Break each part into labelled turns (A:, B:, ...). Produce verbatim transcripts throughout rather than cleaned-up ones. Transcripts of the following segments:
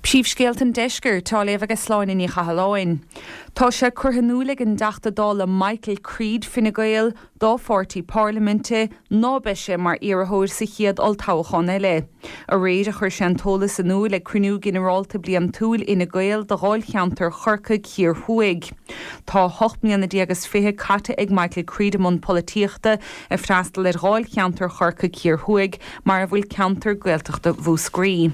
A: Príomhscéalta an Deiscirt á léamh ag Sláine Ní Chathalláin. Tá sé curtha in iúl ag an dTeachta Dála Michael Creed Fine Gael dá pháirtí parlaiminte ná beidh sé mar iarrthóir sa chéad olltoghchán eile. Aréir a chuir sé an t-eolas in iúl ag cruinniú ginearálta bliantúil Fhine Gael do dháilcheantar Chorcaigh Thiar Thuaidh. Tá ocht mbliana déag is fiche caite ag Michael Creed i mbun polaitíochta ag freastal ar dháilcheantar Chorcaigh Thiar Thuaidh mar a bhfuil ceantar Gaeltachta Mhúscraí.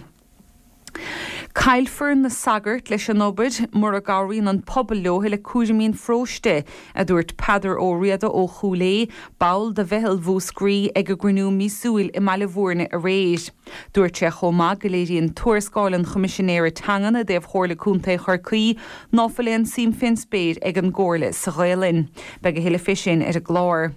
A: Caillfear na sagairt leis an obair mura gcabhraíonn an pobal leo le cúraimí an pharóiste, a dúirt Peadar Ó Riada ó Chúil Aodha, ball de Mheitheal Mhúscraí ag a gcruinniú míosúil i mBaile Bhúirne aréir. Dúirt sé chomh maith go léiríonn tuarascáil an Choimisinéara Teangan i dtaobh Chomhairle Contae Chorcaí ná fuil aon suim fén spéir ag an gcomhairle sa Ghaelainn. Beidh a thuilleadh fé sin ar an gclár.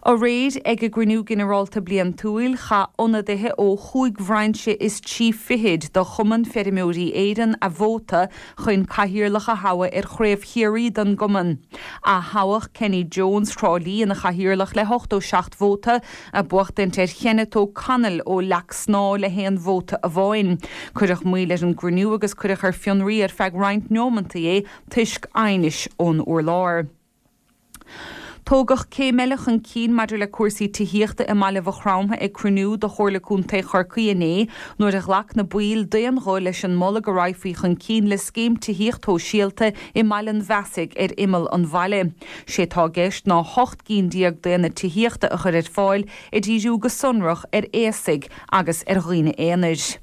A: Aréir ag a gcruinniú ginearálta bliantúil chaith ionadaithe ó chúig bhrainse is trí fichid de Chumann Feirmeoirí Éireann a vóta chun cathaoirleach a thoghadh ar Chraobh Chiarraí don gcumann. Atoghadh Kenny Jones Thrá Lí ina chathaoirleach le hochtó seacht vóta, ag buachtaint ar Kenneth O'Connell ó Leac Snámha le haon vóta amháin. Cuireadh moill ar an gcruinniú agus cuireadh ar fionraí ar feadh roinnt neomantaí é toisc aighnis ón urlár. Tógadh céim eile chun cinn maidir le cúrsaí tithíochta i mBaile Mhaigh Chromtha ag cruinniú de Chomhairle Contae Chorcaí inné nuair a ghlac na baill d'aon ghuth leis an moladh go raghfaí chun cinn le scéim tithíocht shóisialta i mBaile an Bheasaigh ar imeall an bhaile. Sé atá i gceist ná hocht gcinn déag d'aonaid tithíochta a chur ar fáil ag díriú go sonrach ar aosaigh agus ar dhaoine aonair.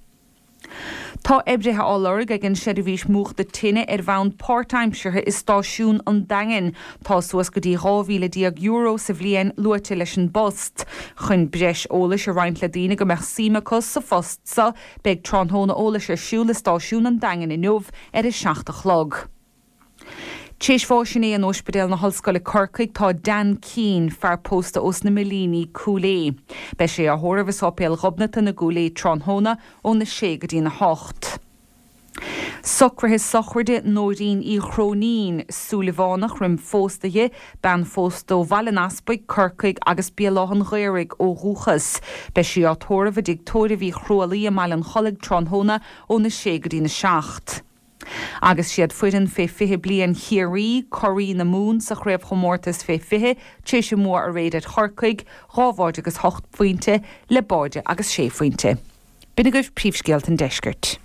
A: Tá oibrithe á lorg ag an seirbhís múchta tine ar bhonn páirtaimseartha i stáisiún an Daingin. Tá suas go dtí dhá mhíle déag euro sa bhliain luaite leis an bpost. Chun breis eolais a roinnt le daoine go mbeadh suim acu sa phost seo, beidh tráthnóna eolais ar siúl i stáisiún an Daingin inniu ar a seacht a chlog. Tar éis bháis inné in Ospidéal na hOllscoile Corcaigh tá Dan Keane, fear pósta ós na Millíní, Cúil Aodha. Beidh sé á thórramh i Sáipéal Ghobnatan i gCúil Aodha tráthnóna óna sé go dtína hocht. Socruithe sochraide Nóirín Uí Chróinín, Súilleabhánach roim phósadh di, bean phósta ó Bhaile an Easpaig, Corcaigh agus Béal Átha an Ghaorthaidh ó dhúchas. Beidh sí á tórramh i dtigh tórraimh Uí Chrualaoi i mBaile an Chollaigh tráthnóna óna sé go dtína seacht. Agus siad foireann fé fiche bliain Chiarraí, curaidh na Mumhan sa chraobhchomórtas fé fiche, tar éis a mbua aréir ar Chorcaigh, dhá bháide agus hocht bpointe le báide agus sé phointe. B'in agaibh príomhscéalta an deiscirt.